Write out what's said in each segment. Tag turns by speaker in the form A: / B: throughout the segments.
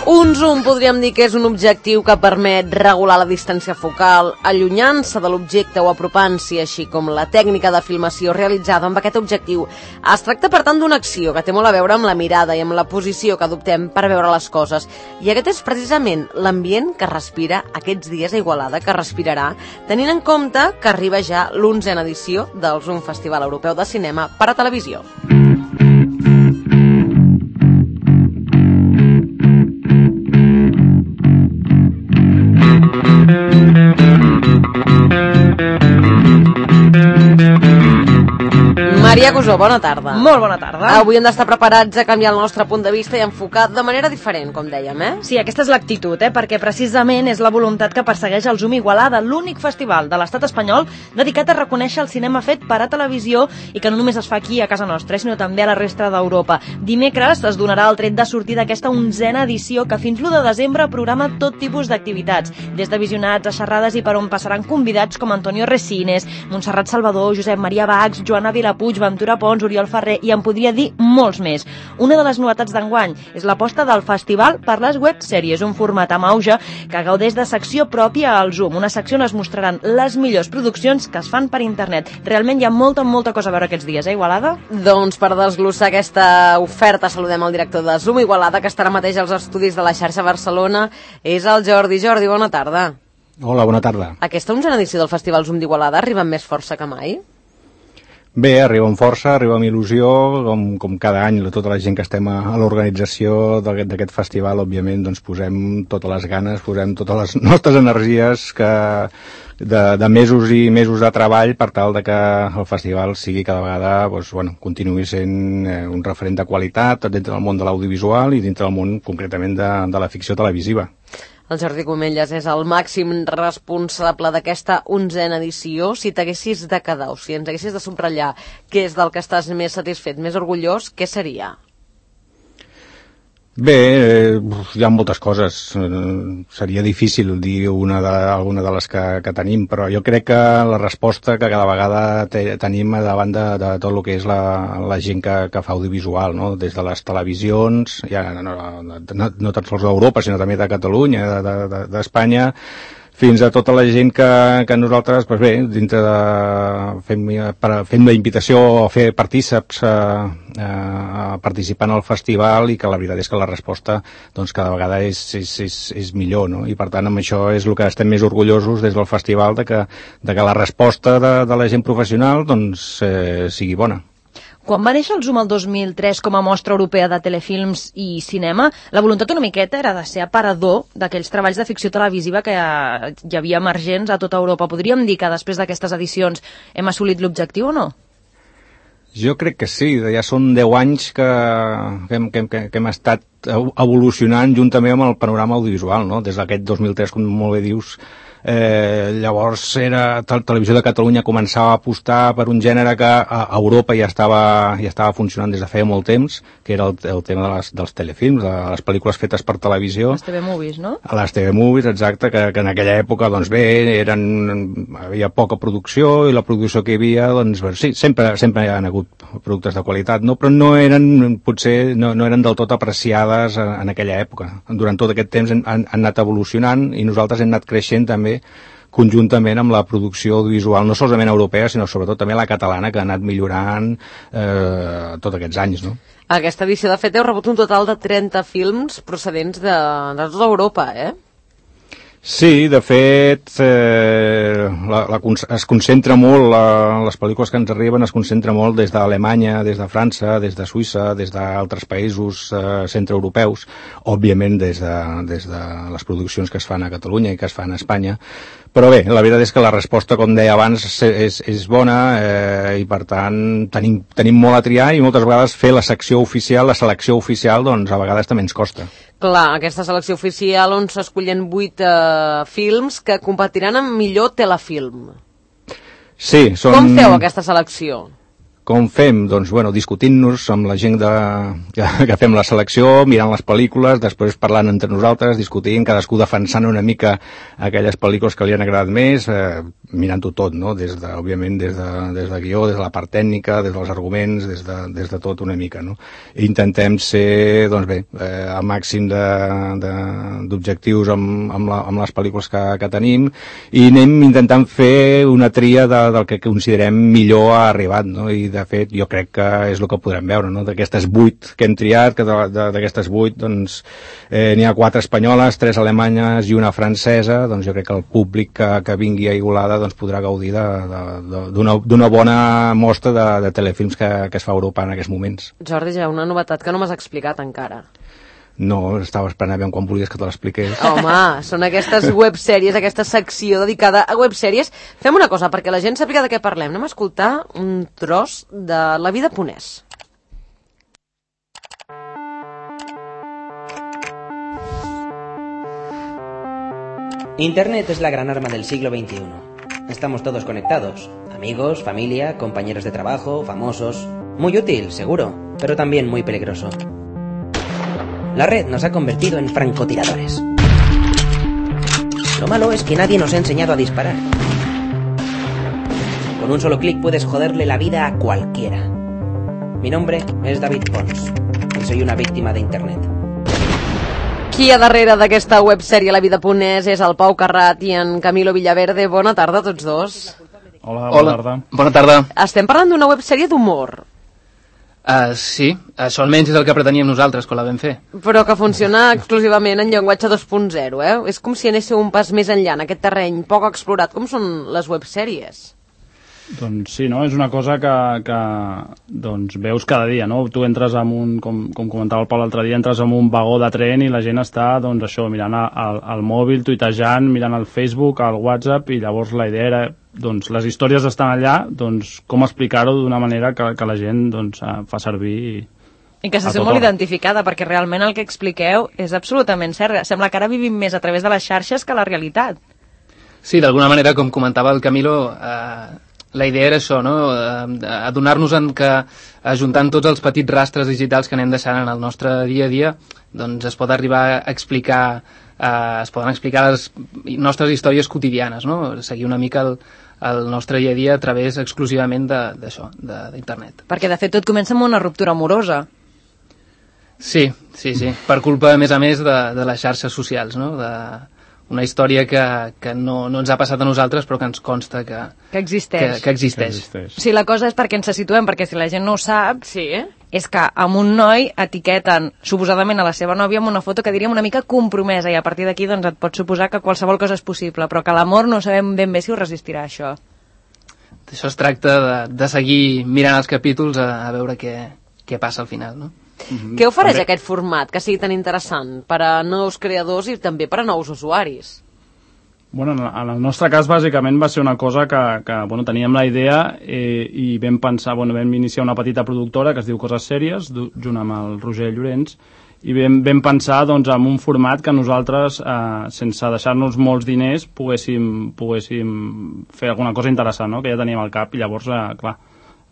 A: Un zoom podríem dir que és un objectiu que permet regular la distància focal, allunyant-se de l'objecte o apropant-s'hi, així com la tècnica de filmació realitzada amb aquest objectiu. Es tracta, per tant, d'una acció que té molt a veure amb la mirada i amb la posició que adoptem per veure les coses. I aquest és precisament l'ambient que respira aquests dies a Igualada, que respirarà, tenint en compte que arriba ja l'11a edició del Zoom Festival Europeu de Cinema per a televisió. Maria Cusó, bona tarda.
B: Molt bona tarda.
A: Avui hem d'estar preparats a canviar el nostre punt de vista i enfocar de manera diferent, com dèiem,
B: Sí, aquesta és l'actitud, perquè precisament és la voluntat que persegueix el Zoom Igualada, l'únic festival de l'estat espanyol dedicat a reconèixer el cinema fet per a televisió i que no només es fa aquí a casa nostra, sinó també a la resta d'Europa. Dimecres es donarà el tret de sortir d'aquesta 11a edició que fins l'1 de desembre programa tot tipus d'activitats, des de visionats a xerrades i per on passaran convidats com Antonio Resines, Montserrat Salvador, Josep Maria Bax, Joana Vilapuig, Ventura Pons, Oriol Ferrer i en podria dir molts més. Una de les novetats d'enguany és l'aposta del festival per les websèries, un format amb auge que gaudeix de secció pròpia al Zoom. Una secció on es mostraran les millors produccions que es fan per internet. Realment hi ha molta cosa a veure aquests dies, Igualada?
A: Doncs per desglossar aquesta oferta saludem el director de Zoom Igualada, que estarà mateix als estudis de la xarxa Barcelona. És el Jordi. Jordi, bona tarda.
C: Hola, bona tarda.
A: Aquesta 11a edició del Festival Zoom d'Igualada arriba amb més força que mai?
C: Bé, arriba amb força, arriba amb il·lusió, com cada any, tota la gent que estem a l'organització d'aquest festival, òbviament, doncs posem totes les ganes, posem totes les nostres energies de mesos i mesos de treball per tal de que el festival sigui cada vegada, continuï sent un referent de qualitat dintre del món de l'audiovisual i dintre del món, concretament, de la ficció televisiva.
A: El Jordi Comelles és el màxim responsable d'aquesta 11a edició. Si t'haguessis de quedar, o si ens haguessis de subratllar què és del que estàs més satisfet, més orgullós, què seria?
C: Bé, hi ha moltes coses. Seria difícil dir alguna de les que tenim, però jo crec que la resposta que cada vegada tenim davant de tot el que és la gent que fa audiovisual, no? Des de les televisions, ja no tan sols d'Europa, sinó també de Catalunya, d'Espanya, fins a tota la gent que nosaltres, dintre fem la invitació a fer partíceps a participar en el festival, i que la veritat és que la resposta cada vegada és millor, no? I per tant amb això és el que estem més orgullosos des del festival, de que la resposta de la gent professional sigui bona.
B: Quan va néixer el Zoom el 2003 com a mostra europea de telefilms i cinema, la voluntat una miqueta era de ser aparador d'aquells treballs de ficció televisiva que hi havia emergents a tota Europa. Podríem dir que després d'aquestes edicions hem assolit l'objectiu o no?
C: Jo crec que sí, ja són 10 anys que hem estat evolucionant juntament amb el panorama audiovisual, no? Des d'aquest 2003, com molt bé dius. Llavors Televisió de Catalunya començava a apostar per un gènere que a Europa ja estava funcionant des de feia molt temps, que era el tema dels telefilms, de les pel·lícules fetes per televisió.
B: Les TV Movies, no?
C: Les TV Movies, exacte, que en aquella època, havia poca producció, i la producció que hi havia, sí, sempre hi ha hagut productes de qualitat, no? Però no eren del tot apreciades en aquella època. Durant tot aquest temps han anat evolucionant i nosaltres hem anat creixent també conjuntament amb la producció audiovisual, no solament europea, sinó sobretot també la catalana, que ha anat millorant tots aquests anys, no?
A: Aquesta edició, de fet, heu rebut un total de 30 films procedents de tota Europa,
C: Sí, de fet, es concentra molt, les pel·lícules que ens arriben es concentra molt des d'Alemanya, des de França, des de Suïssa, des d'altres països centreeuropeus, òbviament des de les produccions que es fan a Catalunya i que es fan a Espanya. Però bé, la veritat és que la resposta, com deia abans, és bona, i per tant tenim molt a triar, i moltes vegades fer la selecció oficial, doncs a vegades també ens costa.
A: Clar, aquesta selecció oficial on s'escollen 8 films que competiran amb millor telefilm.
C: Sí,
A: Com feu aquesta selecció?
C: Com fem? Doncs, discutint-nos amb la gent que fem la selecció, mirant les pel·lícules, després parlant entre nosaltres, discutint, cadascú defensant una mica aquelles pel·lícules que li han agradat més, mirant-ho tot, no? Òbviament des de guió, des de la part tècnica, des dels arguments, des de tot una mica, no? I intentem ser, doncs bé, al màxim d'objectius amb les pel·lícules que tenim, i anem intentant fer una tria del que considerem millor ha arribat, no? I de fet jo crec que és el que podrem veure, no? D'aquestes 8 que hem triat, que d'aquestes 8 doncs n'hi ha 4 espanyoles, 3 alemanyes i una francesa, doncs jo crec que el públic que vingui a Igualada doncs podrà gaudir d'una bona mostra de telefilms que es fa a Europa en aquests moments.
A: Jordi, ja una novetat que no m'has explicat encara.
C: No, estava esperant a veure quan volies que te l'expliqués.
A: Home, són aquestes websèries, aquesta secció dedicada a websèries. Fem una cosa, perquè la gent sàpiga de què parlem. Anem a escoltar un tros de La vida ponès.
D: Internet es la gran arma del siglo XXI. Estamos todos conectados. Amigos, familia, compañeros de trabajo, famosos. Muy útil, seguro, pero también muy peligroso. La red nos ha convertido en francotiradores. Lo malo es que nadie nos ha enseñado a disparar. Con un solo clic puedes joderle la vida a cualquiera. Mi nombre es David Pons y soy una víctima de Internet.
A: Qui hi ha darrere d'aquesta websèrie La vida ponès és el Pau Carrat i en Camilo Villaverde. Bona tarda a tots dos.
E: Hola, bona tarda.
F: Bona tarda.
A: Estem parlant d'una websèrie d'humor.
F: Sí, això almenys és el que preteníem nosaltres quan la vam fer.
A: Però que funciona exclusivament en llenguatge 2.0, eh? És com si anéssiu un pas més enllà en aquest terreny poc explorat, com són les websèries.
E: Doncs sí, no? És una cosa que doncs, veus cada dia, no? Tu entres en un, com comentava el Pau l'altre dia, entres en un vagó de tren i la gent està, doncs això, mirant al mòbil, tuitejant, mirant el Facebook, el WhatsApp, i llavors la idea era, doncs, les històries estan allà, doncs, com explicar-ho d'una manera que la gent, doncs, fa servir.
B: I que se sent molt identificada, perquè realment el que expliqueu és absolutament cert. Sembla que ara vivim més a través de les xarxes que la realitat.
F: Sí, d'alguna manera, com comentava el Camilo, la idea era això, no? Adonar-nos que ajuntant tots els petits rastres digitals que anem deixant en el nostre dia a dia, doncs es pot arribar a explicar, es poden explicar les nostres històries quotidianes, no? Seguir una mica el nostre dia a dia a través exclusivament d'això, d'internet.
B: Perquè de fet tot comença amb una ruptura amorosa.
F: Sí, per culpa a més de les xarxes socials, no? Una història que no ens ha passat a nosaltres però que ens consta que
B: existeix.
F: Que existeix.
B: Sí, la cosa és perquè ens situem, perquè si la gent no ho sap,
A: sí,
B: és que amb un noi etiqueten suposadament a la seva nòvia amb una foto que diríem una mica compromesa, i a partir d'aquí doncs, et pot suposar que qualsevol cosa és possible, però que l'amor no sabem ben bé si ho resistirà, això.
F: Això es tracta de seguir mirant els capítols a veure què passa al final, no?
A: Què ofereix aquest format que sigui tan interessant per a nous creadors i també per a nous usuaris?
E: Bueno, en el nostre cas, bàsicament, va ser una cosa que teníem la idea i vam pensar, vam iniciar una petita productora que es diu Coses Sèries, junt amb el Roger Llorenç, i vam pensar doncs, en un format que nosaltres, sense deixar-nos molts diners, poguéssim fer alguna cosa interessant, no? Que ja teníem al cap, i llavors, clar,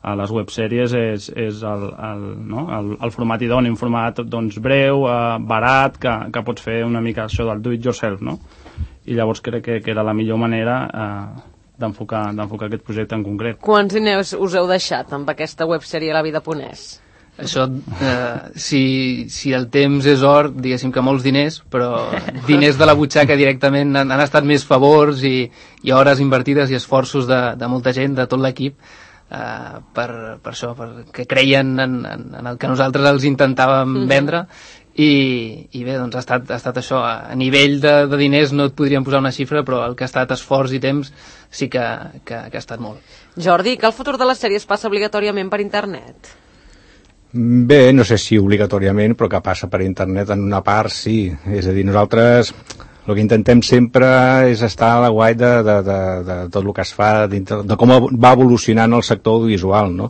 E: a les websèries és el format idoni, un format doncs, breu, barat, que pots fer una mica això del do it yourself, no? I llavors crec que era la millor manera d'enfocar aquest projecte en concret.
A: Quants diners us heu deixat amb aquesta websèrie La vida ponès?
F: Això, si el temps és or, diguéssim que molts diners, però diners de la butxaca directament han estat més favors i hores invertides i esforços de molta gent, de tot l'equip, per això, perquè creien en el que nosaltres els intentàvem vendre, i bé, doncs ha estat això. A nivell de diners no et podríem posar una xifra, però el que ha estat esforç i temps sí que ha estat molt.
A: Jordi, que el futur de les sèries passa obligatòriament per internet?
C: Bé, no sé si obligatòriament, però que passa per internet en una part, sí. És a dir, nosaltres el que intentem sempre és estar a la guai de tot el que es fa, de com va evolucionant el sector audiovisual, no?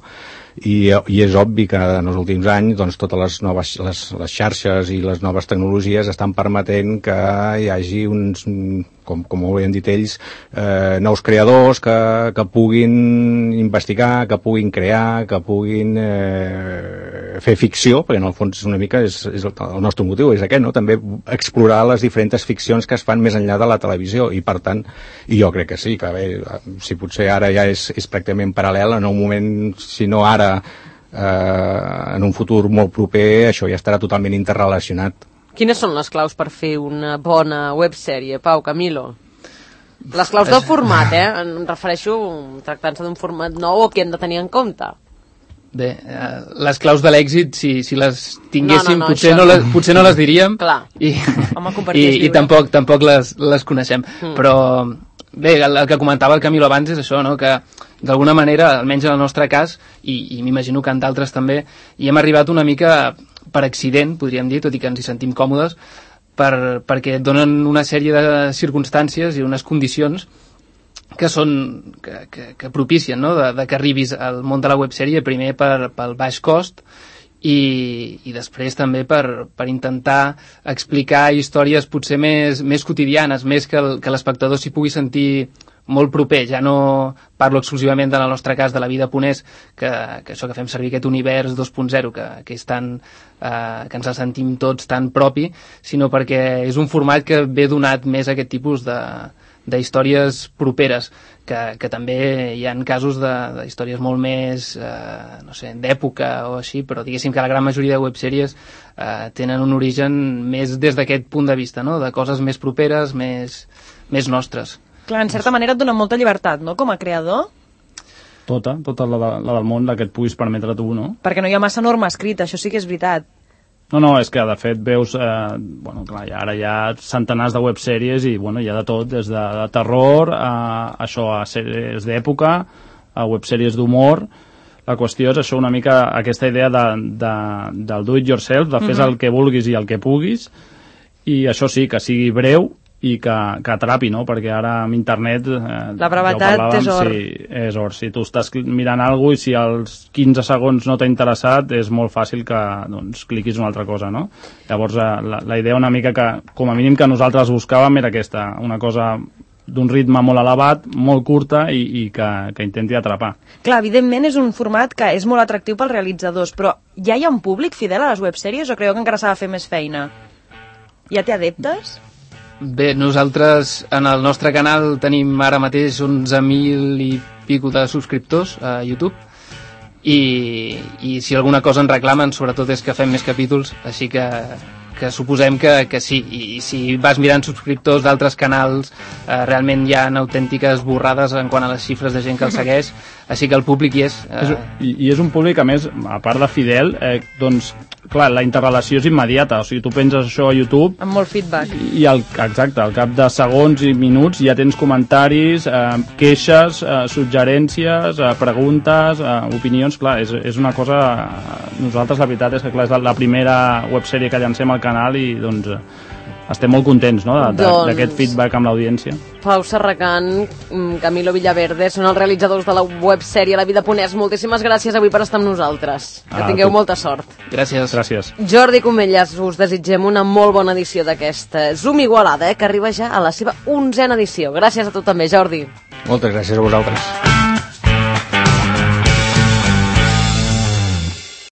C: I és obvi que en els últims anys doncs, totes les xarxes i les noves tecnologies estan permetent que hi hagi uns com ho havien dit ells, nous creadors que puguin investigar, que puguin crear, que puguin fer ficció, perquè en el fons una mica és el nostre motiu, és aquest, no? També explorar les diferents ficcions que es fan més enllà de la televisió, i per tant, i jo crec que sí, que bé, si potser ara ja és pràcticament paral·lel, en un moment, si no ara, en un futur molt proper, això ja estarà totalment interrelacionat.
A: Quines són les claus per fer una bona websèrie, Pau, Camilo? Les claus del format, em refereixo tractant-se d'un format nou o què hem de tenir en compte?
F: Bé, les claus de l'èxit, si les tinguéssim, potser no les diríem.
A: Clar.
F: I tampoc les coneixem. Però bé, el que comentava el Camilo abans és això, no? Que d'alguna manera, almenys en el nostre cas, i m'imagino que en d'altres també, hi hem arribat una mica per accident, podríem dir, tot i que ens hi sentim còmodes, perquè donen una sèrie de circumstàncies i unes condicions que propicien, no? de que arribis al món de la websèrie, primer pel baix cost i després també per intentar explicar històries potser més quotidianes, més que l'espectador s'hi pugui sentir molt proper. Ja no parlo exclusivament del nostre cas de la vida ponés, que això que fem servir aquest univers 2.0 que és tan que ens el sentim tots tan propi, sinó perquè és un format que ve donat més a aquest tipus d'històries properes, que també hi ha casos de històries molt més no sé, d'època o així, però diguéssim que la gran majoria de websèries tenen un origen més des d'aquest punt de vista, no? De coses més properes, més nostres.
B: Clar, en certa manera et dona molta llibertat, no?, com a creador.
E: Tota la del món, la que et puguis permetre tu, no?
B: Perquè no hi ha massa norma escrita, això sí que és veritat.
E: No, és que de fet veus, clar, ara hi ha centenars de websèries i hi ha de tot, des de terror a sèries d'època, a websèries d'humor. La qüestió és això, una mica aquesta idea del do it yourself, de fes el que vulguis i el que puguis, i això sí, que sigui breu i que atrapi, no? Perquè ara amb internet...
B: la brevetat és or.
E: Sí, és or. Si tu estàs mirant alguna cosa i si als 15 segons no t'ha interessat, és molt fàcil que cliquis una altra cosa, no? Llavors, la idea una mica que, com a mínim que nosaltres buscàvem era aquesta, una cosa d'un ritme molt elevat, molt curta i que intenti atrapar.
B: Clar, evidentment és un format que és molt atractiu pels realitzadors, però ja hi ha un públic fidel a les websèries o creieu que encara s'ha de fer més feina? Ja té adeptes?
F: Bé, nosaltres en el nostre canal tenim ara mateix 11.000 i pico de subscriptors a YouTube i si alguna cosa ens reclamen sobretot és que fem més capítols, així que suposem que sí, i si vas mirant subscriptors d'altres canals realment hi ha autèntiques borrades en quant a les xifres de gent que el segueix, així que el públic hi és.
E: I és un públic, a més, a part de fidel, doncs clar, la interrelació és immediata, o sigui, tu penses això a YouTube...
B: Amb molt feedback.
E: I exacte, al cap de segons i minuts ja tens comentaris, queixes, suggerències, preguntes, opinions, clar, és una cosa... Nosaltres la veritat és que clar, és la primera websèrie que llancem al canal i doncs estem molt contents, no?, d'aquest feedback amb l'audiència.
A: Pau Serracant, Camilo Villaverde, són els realitzadors de la websèrie La Vida Ponés. Moltíssimes gràcies avui per estar amb nosaltres. Que tingueu molta sort.
F: Gràcies.
A: Jordi Comelles, us desitgem una molt bona edició d'aquesta Zoom Igualada, que arriba ja a la seva 11a edició. Gràcies a tu també, Jordi.
C: Moltes gràcies a vosaltres.